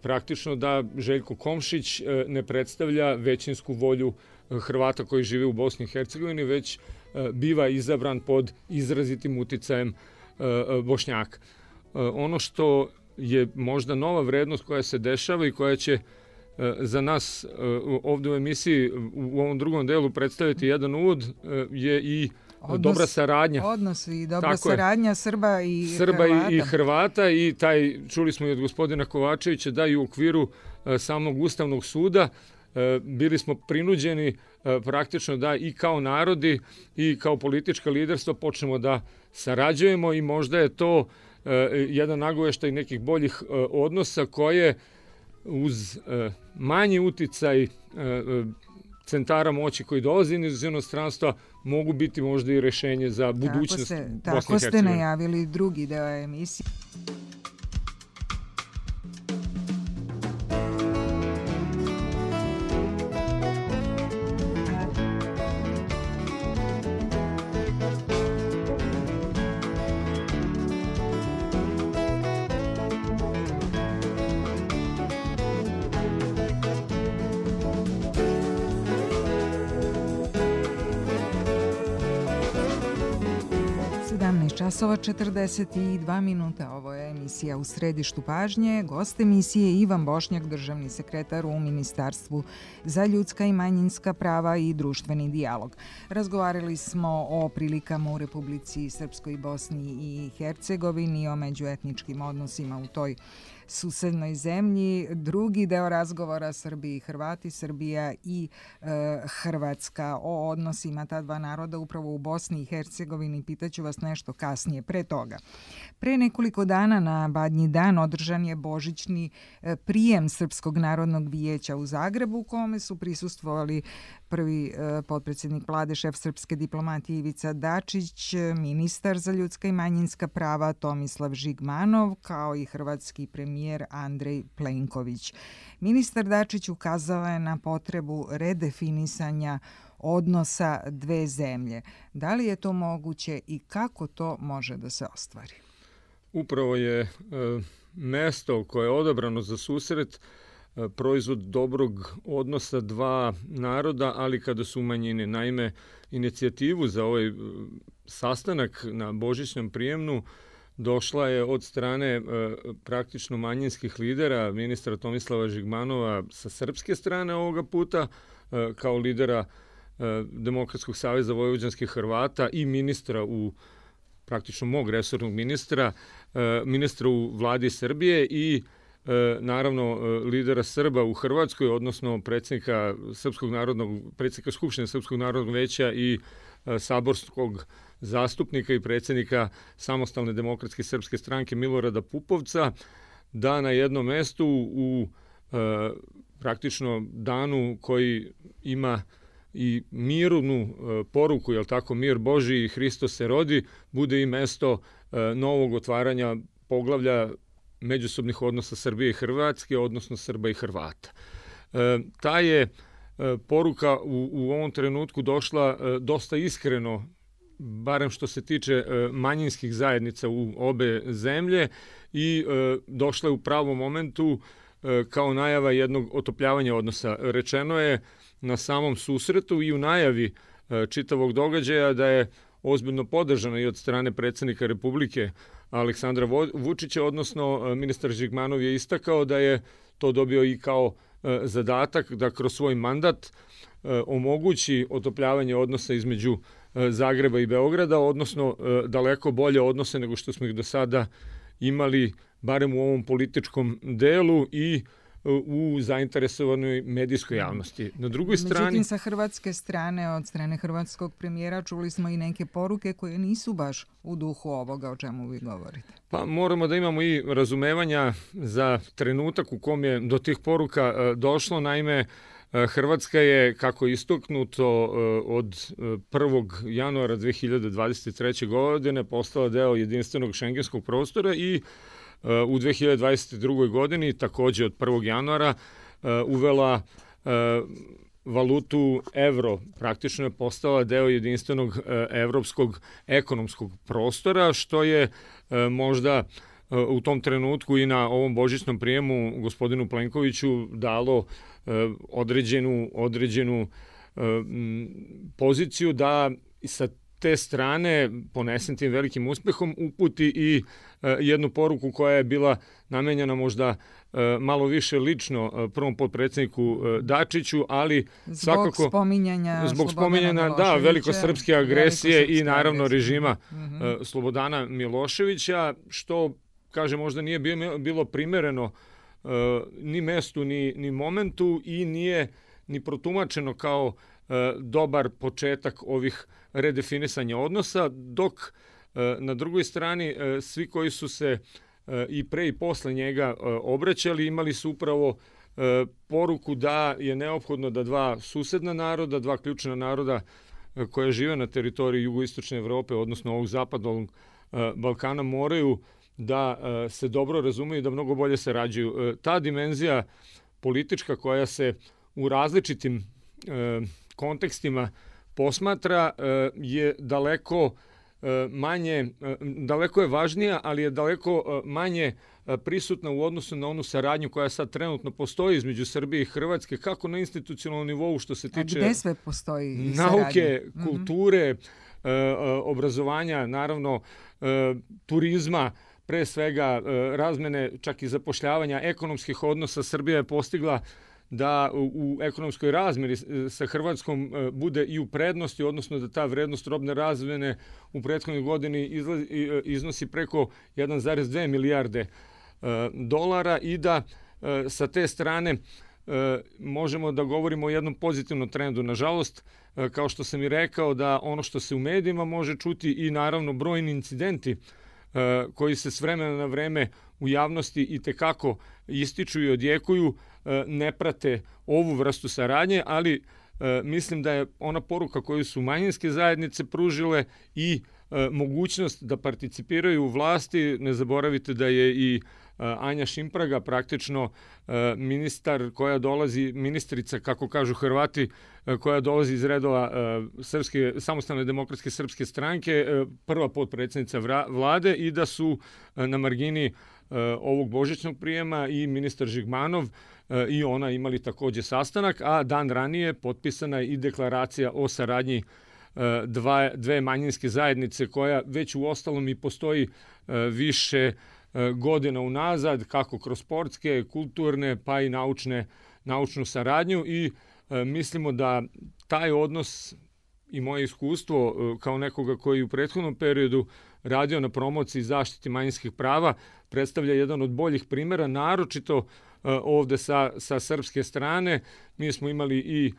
praktično da Željko Komšić ne predstavlja većinsku volju Hrvata koji žive u Bosni i Hercegovini, već biva izabran pod izrazitim uticajem Bošnjaka. Ono što je možda nova vrednost koja se dešava i koja će za nas ovdje u emisiji u ovom drugom delu predstaviti jedan uvod je i Odnos, dobra saradnja. Odnos i dobra Tako saradnja je. Srba i Srba Hrvata. i, i Hrvata i taj, čuli smo i od gospodina Kovačevića, da i u okviru samog Ustavnog suda bili smo prinuđeni praktično da i kao narodi i kao politička liderstva počnemo da sarađujemo i možda je to jedan nagoveštaj nekih boljih odnosa koje uz manji uticaj centara moći koji dolazi iz inostranstva mogu biti možda i rešenje za budućnost Bosne i Hercegovine. Tako ste najavili drugi deo emisije. Časova četrdeset dva minuta, ovo je emisija U središtu pažnje. Gost emisije Ivan Bošnjak, državni sekretar u Ministarstvu za ljudska i manjinska prava i društveni dijalog. Razgovarali smo o prilikama u Republici Srpskoj, Bosni i Hercegovini, o međuetničkim odnosima u toj susednoj zemlji. Drugi deo razgovora Srbiji i Hrvati, Srbija i e, Hrvatska, o odnosima ta dva naroda upravo u Bosni i Hercegovini. Pitaću vas nešto kasnije. Pre toga, pre nekoliko dana na Badnji dan održan je božićni prijem Srpskog narodnog vijeća u Zagrebu, u kome su prisustvovali prvi e, potpredsjednik vlade, šef srpske diplomatije Ivica Dačić, ministar za ljudska i manjinska prava Tomislav Žigmanov, kao i hrvatski premijer Andrej Plenković. Ministar Dačić ukazao je na potrebu redefinisanja odnosa dve zemlje. Da li je to moguće i kako to može da se ostvari? Upravo je e, mesto koje je odabrano za susret e, proizvod dobrog odnosa dva naroda, ali kada su u manjini. Naime, inicijativu za ovaj e, sastanak na božićnom prijemnu došla je od strane e, praktično manjinskih lidera, ministra Tomislava Žigmanova sa srpske strane ovoga puta, e, kao lidera e, Demokratskog saveza vojvođanskih Hrvata i ministra u praktično mog resornog ministra, e, ministra u vladi Srbije i e, naravno lidera Srba u Hrvatskoj, odnosno predsjednika Srpskog narodnog, predsjednika Skupštine Srpskog narodnog veća i e, saborskog zastupnika i predsjednika Samostalne demokratske srpske stranke Milorada Pupovca, da na jednom mestu u e, praktično danu koji ima i mirnu e, poruku, jel tako, mir Božiji i Hristos se rodi, bude i mesto e, novog otvaranja poglavlja međusobnih odnosa Srbije i Hrvatske, odnosno Srba i Hrvata. E, ta je e, poruka u, u ovom trenutku došla e, dosta iskreno, barem što se tiče e, manjinskih zajednica u obe zemlje, i e, došla je u pravom momentu e, kao najava jednog otopljavanja odnosa. Rečeno je na samom susretu i u najavi e, čitavog događaja da je ozbiljno podržana i od strane predsjednika Republike Aleksandra Vučića, odnosno e, ministar Žigmanov je istakao da je to dobio i kao e, zadatak da kroz svoj mandat e, omogući otopljavanje odnosa između e, Zagreba i Beograda, odnosno e, daleko bolje odnose nego što smo ih do sada imali, barem u ovom političkom delu i u zainteresovanoj medijskoj javnosti. Na drugoj strani... Međutim, sa hrvatske strane, od strane hrvatskog premijera, čuli smo i neke poruke koje nisu baš u duhu ovoga o čemu vi govorite. Pa moramo da imamo i razumevanja za trenutak u kom je do tih poruka došlo. Naime, Hrvatska je, kako je istaknuto, od prvog januara dve hiljade dvadeset treće. godine postala deo jedinstvenog šengenskog prostora i u dve hiljade dvadeset drugoj. godini, također od prvog januara, uvela valutu evro. Praktično je postala deo jedinstvenog evropskog ekonomskog prostora, što je možda u tom trenutku i na ovom božićnom prijemu gospodinu Plenkoviću dalo određenu, određenu poziciju da sa te strane, ponesem tim velikim uspehom, uputi i jednu poruku koja je bila namenjena možda malo više lično prvom potpredsjedniku Dačiću, ali zbog svakako spominjanja zbog spominjanja da velikosrpske agresije i naravno režima mm-hmm. Slobodana Miloševića, što kaže možda nije bilo primereno ni mestu ni, ni momentu i nije ni protumačeno kao dobar početak ovih redefinisanja odnosa, dok na drugoj strani svi koji su se i pre i posle njega obraćali imali su upravo poruku da je neophodno da dva susedna naroda, dva ključna naroda koja žive na teritoriji jugoistočne Evrope, odnosno ovog zapadnog Balkana, moraju da se dobro razumeju i da mnogo bolje sarađuju. Ta dimenzija politička koja se u različitim kontekstima posmatra je daleko manje, daleko je važnija, ali je daleko manje prisutna u odnosu na onu saradnju koja sad trenutno postoji između Srbije i Hrvatske, kako na institucionalnom nivou što se tiče A gde sve postoji nauke, saradnja? kulture, mm-hmm. obrazovanja, naravno turizma, pre svega razmene, čak i zapošljavanja, ekonomskih odnosa. Srbija je postigla da u ekonomskoj razmjeri sa Hrvatskom bude i u prednosti, odnosno da ta vrednost robne razmjene u prethodnoj godini iznosi preko jedan zarez dve milijarde dolara i da sa te strane možemo da govorimo o jednom pozitivnom trendu. Nažalost, kao što sam i rekao, da ono što se u medijima može čuti i naravno brojni incidenti koji se s vremena na vreme u javnosti i tekako ističu i odjekuju, ne prate ovu vrstu saradnje, ali mislim da je ona poruka koju su manjinske zajednice pružile i mogućnost da participiraju u vlasti. Ne zaboravite da je i Anja Šimpraga praktično ministar koja dolazi, ministrica, kako kažu Hrvati, koja dolazi iz redova Srpske, samostalne demokratske srpske stranke, prva potpredsjednica vlade, i da su na margini ovog božićnog prijema i ministar Žigmanov i ona imali takođe sastanak, a dan ranije potpisana je i deklaracija o saradnji dva, dve manjinske zajednice koja već u ostalom i postoji više godina unazad, kako kroz sportske, kulturne, pa i naučne, naučnu saradnju, i mislimo da taj odnos i moje iskustvo kao nekoga koji u prethodnom periodu radio na promociji i zaštiti manjinskih prava predstavlja jedan od boljih primjera, naročito ovde sa, sa srpske strane. Mi smo imali i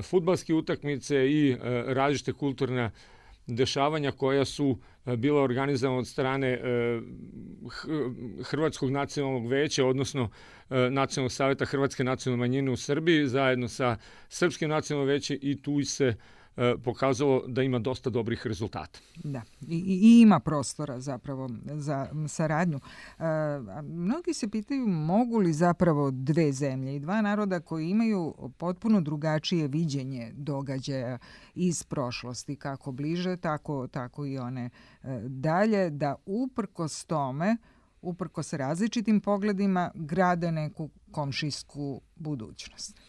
fudbalske utakmice i različite kulturne dešavanja koja su bila organizovana od strane Hrvatskog nacionalnog veća, odnosno Nacionalnog savjeta Hrvatske nacionalne manjine u Srbiji, zajedno sa Srpskim nacionalnim većem, i tu se pokazalo da ima dosta dobrih rezultata. Da, i, i ima prostora zapravo za saradnju. E, mnogi se pitaju mogu li zapravo dve zemlje i dva naroda koji imaju potpuno drugačije viđenje događaja iz prošlosti, kako bliže, tako, tako i one e, dalje, da uprkos tome, uprkos različitim pogledima, grade neku komšijsku budućnost.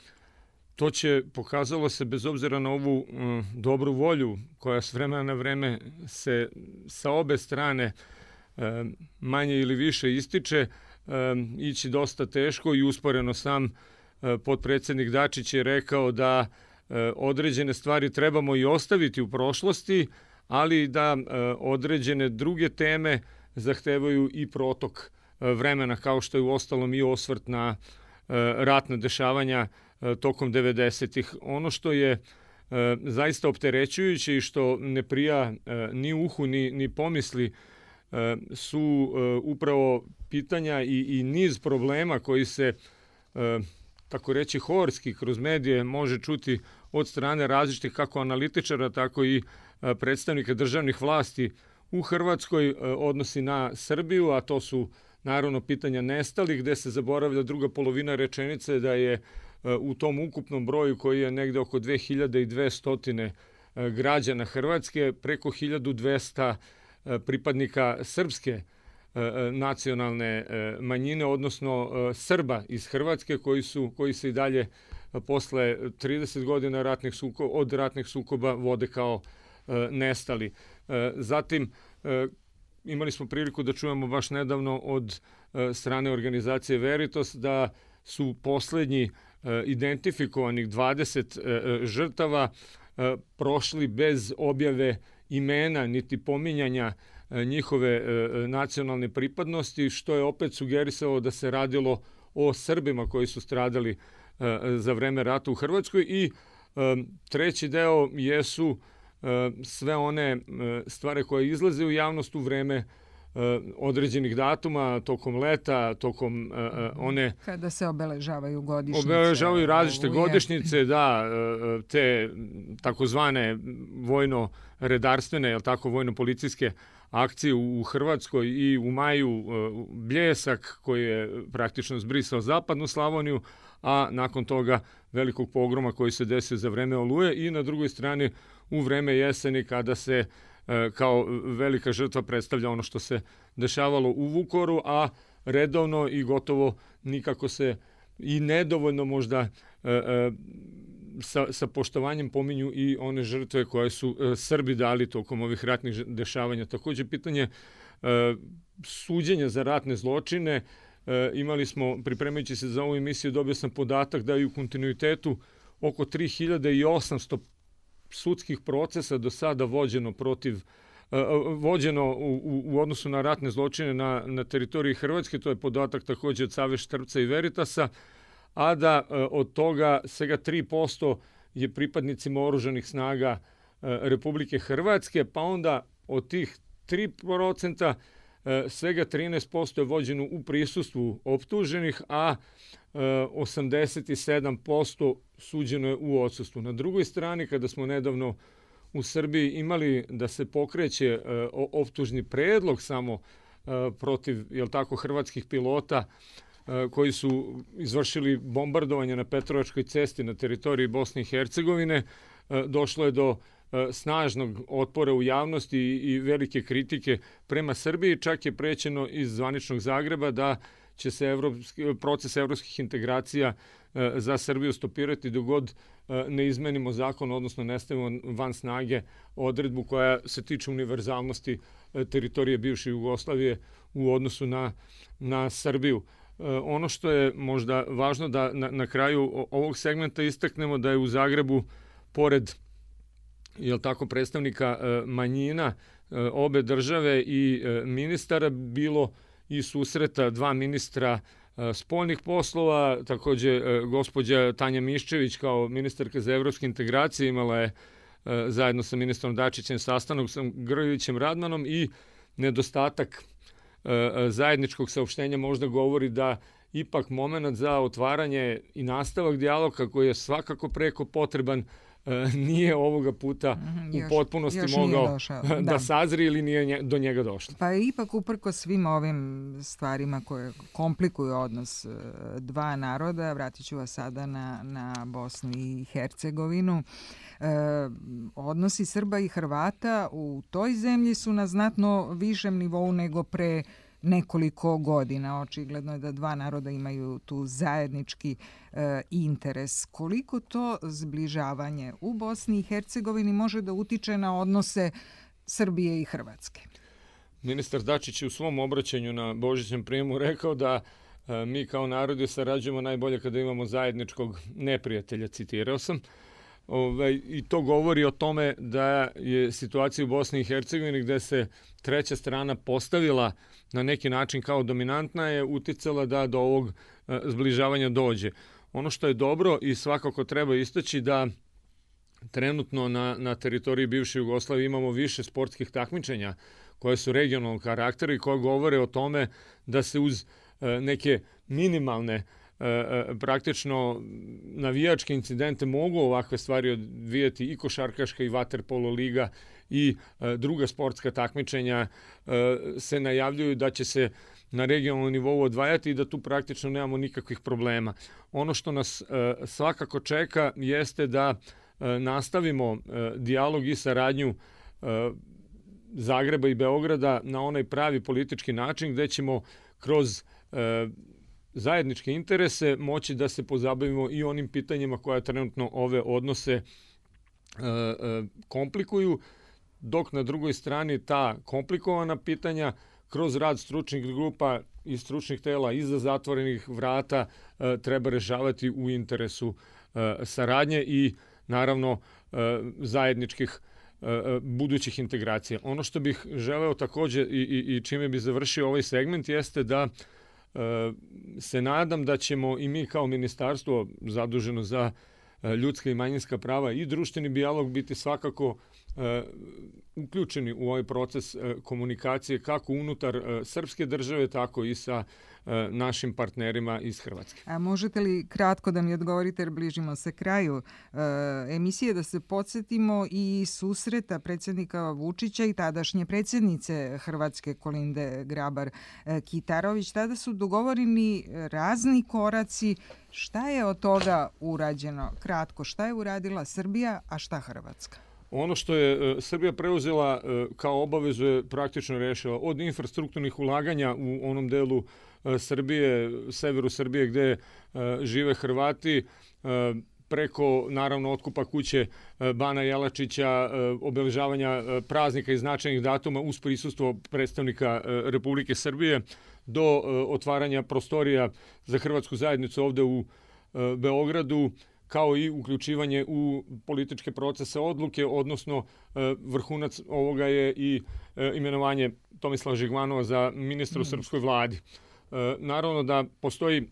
To će, pokazalo se, bez obzira na ovu um, dobru volju koja s vremena na vreme se sa obe strane um, manje ili više ističe, um, ići dosta teško, i usporeno sam uh, potpredsjednik Dačić je rekao da uh, određene stvari trebamo i ostaviti u prošlosti, ali da uh, određene druge teme zahtevaju i protok uh, vremena, kao što je u ostalom i osvrt na uh, ratna dešavanja tokom devedesetih. Ono što je e, zaista opterećujuće i što ne prija e, ni uhu ni, ni pomisli e, su e, upravo pitanja i, i niz problema koji se, e, tako reći, horski kroz medije može čuti od strane različitih kako analitičara, tako i e, predstavnika državnih vlasti u Hrvatskoj, e, odnosi na Srbiju, a to su naravno pitanja nestalih, gde se zaboravlja druga polovina rečenice da je u tom ukupnom broju, koji je negde oko dve hiljade dvesta građana Hrvatske, preko hiljadu dvesta pripadnika srpske nacionalne manjine, odnosno Srba iz Hrvatske koji su koji se i dalje posle trideset godina ratnih sukoba, od ratnih sukoba vode kao nestali. Zatim imali smo priliku da čujemo baš nedavno od strane organizacije Veritas da su poslednji identifikovanih dvadeset žrtava prošli bez objave imena niti pominjanja njihove nacionalne pripadnosti, što je opet sugerisalo da se radilo o Srbima koji su stradali za vreme rata u Hrvatskoj. I treći deo jesu sve one stvari koje izlaze u javnost u vreme određenih datuma, tokom leta, tokom one... Kada se obeležavaju godišnjice. Obeležavaju različite godišnjice, da, te takozvane vojno-redarstvene, jel tako, vojno-policijske akcije u Hrvatskoj i u maju Bljesak koji je praktično zbrisao zapadnu Slavoniju, a nakon toga velikog pogroma koji se desio za vreme Oluje i na drugoj strani u vreme jeseni kada se kao velika žrtva predstavlja ono što se dešavalo u Vukovaru, a redovno i gotovo nikako se i nedovoljno možda sa, sa poštovanjem pominju i one žrtve koje su Srbi dali tokom ovih ratnih dešavanja. Takođe, pitanje suđenja za ratne zločine. Imali smo, pripremajući se za ovu emisiju, dobio sam podatak da je u kontinuitetu oko tri hiljade osamsto sudskih procesa do sada vođeno protiv vođeno u, u odnosu na ratne zločine na, na teritoriji Hrvatske, to je podatak takođe od Save Štrpca i Veritasa, a da od toga svega tri posto je pripadnicima oružanih snaga Republike Hrvatske, pa onda od tih tri procenta svega trinaest posto je vođeno u prisustvu optuženih, a osamdeset sedam posto suđeno je u odsustvu. Na drugoj strani, kada smo nedavno u Srbiji imali da se pokreće optužni predlog samo protiv, jel tako, hrvatskih pilota koji su izvršili bombardovanje na Petrovačkoj cesti na teritoriji Bosne i Hercegovine, došlo je do snažnog otpora u javnosti i velike kritike prema Srbiji. Čak je prećeno iz zvaničnog Zagreba da će se evropski, proces evropskih integracija za Srbiju stopirati dok god ne izmenimo zakon, odnosno ne stavimo van snage odredbu koja se tiče univerzalnosti teritorije bivše Jugoslavije u odnosu na, na Srbiju. Ono što je možda važno da na, na kraju ovog segmenta istaknemo da je u Zagrebu, pored jel tako, predstavnika manjina obe države i ministara, bilo i susreta dva ministra spoljnih poslova. Takođe, gospođa Tanja Miščević kao ministarka za evropske integracije imala je zajedno sa ministrom Dačićem sastanak sa Grlićem Radmanom i nedostatak zajedničkog saopštenja možda govori da ipak moment za otvaranje i nastavak dijaloga koji je svakako preko potreban nije ovoga puta mm, još, u potpunosti mogao da, da sazri ili nije do njega došlo. Pa ipak uprko svim ovim stvarima koje komplikuju odnos dva naroda, vratit ću vas sada na, na Bosnu i Hercegovinu, e, odnosi Srba i Hrvata u toj zemlji su na znatno višem nivou nego pre nekoliko godina. Očigledno je da dva naroda imaju tu zajednički e, interes. Koliko to zbližavanje u Bosni i Hercegovini može da utiče na odnose Srbije i Hrvatske? Ministar Dačić je u svom obraćanju na Božićnom prijemu rekao da e, mi kao narodi sarađujemo najbolje kada imamo zajedničkog neprijatelja, citirao sam. Ove, I to govori o tome da je situacija u Bosni i Hercegovini gde se treća strana postavila na neki način kao dominantna je uticala da do ovog e, zbližavanja dođe. Ono što je dobro i svakako treba istaći da trenutno na, na teritoriji bivše Jugoslavije imamo više sportskih takmičenja koje su regionalnog karaktera i koje govore o tome da se uz e, neke minimalne praktično navijačke incidente mogu ovakve stvari odvijati i košarkaška i vaterpolo liga i druga sportska takmičenja se najavljuju da će se na regionalnom nivou odvajati i da tu praktično nemamo nikakvih problema. Ono što nas svakako čeka jeste da nastavimo dijalog i saradnju Zagreba i Beograda na onaj pravi politički način gde ćemo kroz e, zajedničke interese moći da se pozabavimo i onim pitanjima koja trenutno ove odnose e, e, komplikuju, dok na drugoj strani ta komplikovana pitanja kroz rad stručnih grupa i stručnih tela iza zatvorenih vrata e, treba rešavati u interesu e, saradnje i naravno e, zajedničkih e, budućih integracija. Ono što bih želeo takođe i, i, i čime bi završio ovaj segment jeste da e, se nadam da ćemo i mi kao ministarstvo zaduženo za e, ljudska i manjinska prava i društveni dijalog biti svakako e, uključeni u ovaj proces e, komunikacije kako unutar e, srpske države, tako i sa e, našim partnerima iz Hrvatske. A možete li kratko da mi odgovorite, jer bližimo se kraju e, emisije, da se podsjetimo i susreta predsjednika Vučića i tadašnje predsjednice Hrvatske Kolinde Grabar-Kitarović. Tada su dogovoreni razni koraci. Šta je od toga urađeno? Kratko, šta je uradila Srbija, a šta Hrvatska? Ono što je Srbija preuzela kao obavezu je praktično rešila od infrastrukturnih ulaganja u onom delu Srbije, severu Srbije gde žive Hrvati, preko naravno otkupa kuće Bana Jelačića, obeležavanja praznika i značajnih datuma uz prisustvo predstavnika Republike Srbije, do otvaranja prostorija za hrvatsku zajednicu ovde u Beogradu, kao i uključivanje u političke procese odluke, odnosno vrhunac ovoga je i imenovanje Tomislava Žigmanova za ministra u srpskoj vladi. Naravno da postoji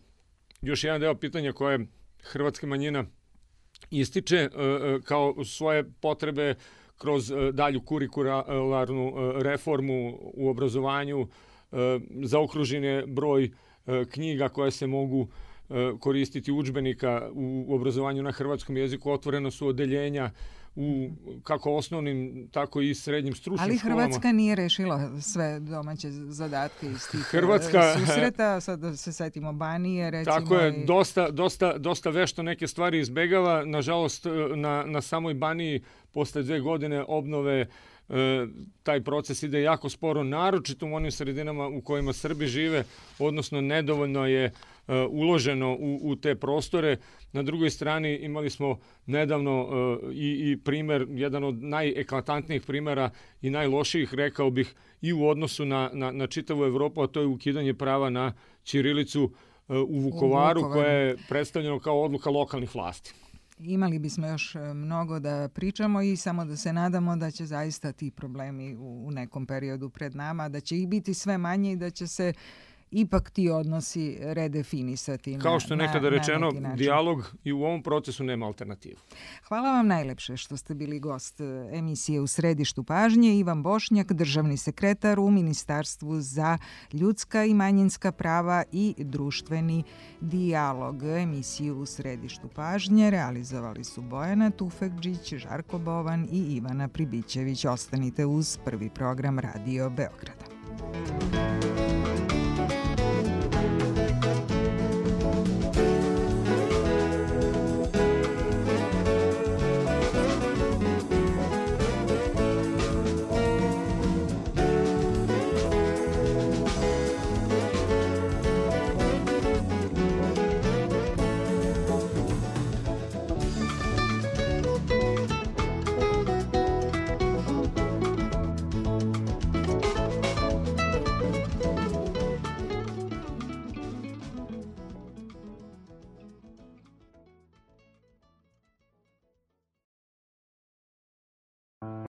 još jedan deo pitanja koje hrvatska manjina ističe kao svoje potrebe kroz dalju kurikularnu reformu u obrazovanju, zaokružen je broj knjiga koje se mogu koristiti udžbenika u obrazovanju na hrvatskom jeziku, otvoreno su odeljenja u kako osnovnim, tako i srednjim stručnim Ali školama. Ali Hrvatska nije rešila sve domaće zadatke iz tih Hrvatska, susreta, sad da se setimo Banije, recimo. Tako je, i... dosta, dosta, dosta vešto neke stvari izbegava. Nažalost, na, na samoj Baniji posle dve godine obnove taj proces ide jako sporo, naročito u onim sredinama u kojima Srbi žive, odnosno nedovoljno je uloženo u, u te prostore. Na drugoj strani imali smo nedavno i, i primer, jedan od najeklatantnijih primera i najlošijih, rekao bih, i u odnosu na, na, na čitavu Evropu, a to je ukidanje prava na ćirilicu u Vukovaru, u koja je predstavljeno kao odluka lokalnih vlasti. Imali bismo još mnogo da pričamo i samo da se nadamo da će zaista ti problemi u nekom periodu pred nama, da će ih biti sve manje i da će se ipak ti odnosi redefinisati. Kao što je nekada na, rečeno, na dijalog i u ovom procesu nema alternativu. Hvala vam najlepše što ste bili gost emisije U središtu pažnje. Ivan Bošnjak, državni sekretar u Ministarstvu za ljudska i manjinska prava i društveni dijalog. Emisiju U središtu pažnje realizovali su Bojana Tufekđić, Žarko Bovan i Ivana Pribićević. Ostanite uz Prvi program Radio Beograda.